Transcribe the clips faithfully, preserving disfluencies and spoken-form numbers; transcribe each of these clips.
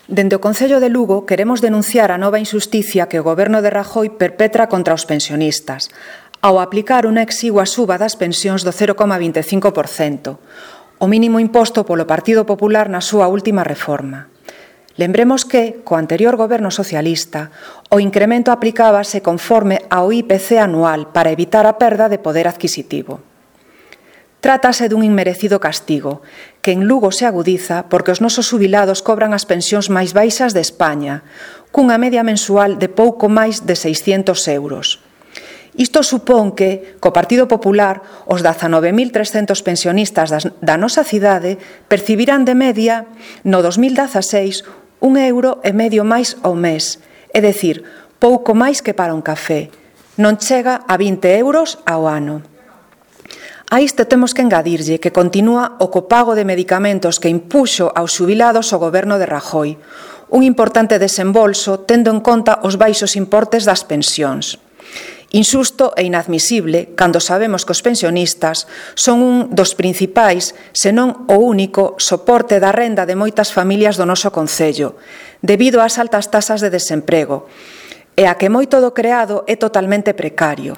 Dende o Concello de Lugo queremos denunciar a nova injusticia que o Goberno de Rajoy perpetra contra os pensionistas ao aplicar unha exigua suba das pensións do cero coma vinte e cinco por cento, o mínimo imposto polo Partido Popular na súa última reforma. Lembremos que, co anterior Goberno socialista, o incremento aplicábase conforme ao I P C anual para evitar a perda de poder adquisitivo. Trátase dun inmerecido castigo, que en Lugo se agudiza porque os nosos xubilados cobran as pensións máis baixas de España, cunha media mensual de pouco máis de seiscentos euros. Isto supón que, co Partido Popular, os dezanove mil trescentos pensionistas da nosa cidade percibirán de media, no dos mil dezaseis, un euro e medio máis ao mes, é dicir, pouco máis que para un café. Non chega a vinte euros ao ano. A isto temos que engadirlle que continúa o copago de medicamentos que impuxo aos xubilados o Goberno de Rajoy, un importante desembolso tendo en conta os baixos importes das pensións. Insusto e inadmisible cando sabemos que os pensionistas son un dos principais, senón o único, soporte da renda de moitas familias do noso concello, debido ás altas tasas de desemprego, e a que moito do creado é totalmente precario,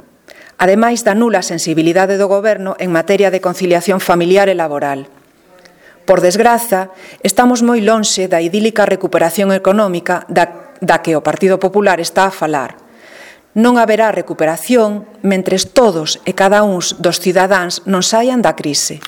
ademais da nula sensibilidade do Goberno en materia de conciliación familiar e laboral. Por desgraza, estamos moi lonxe da idílica recuperación económica da, da que o Partido Popular está a falar. Non haberá recuperación mentres todos e cada uns dos cidadáns non saian da crise.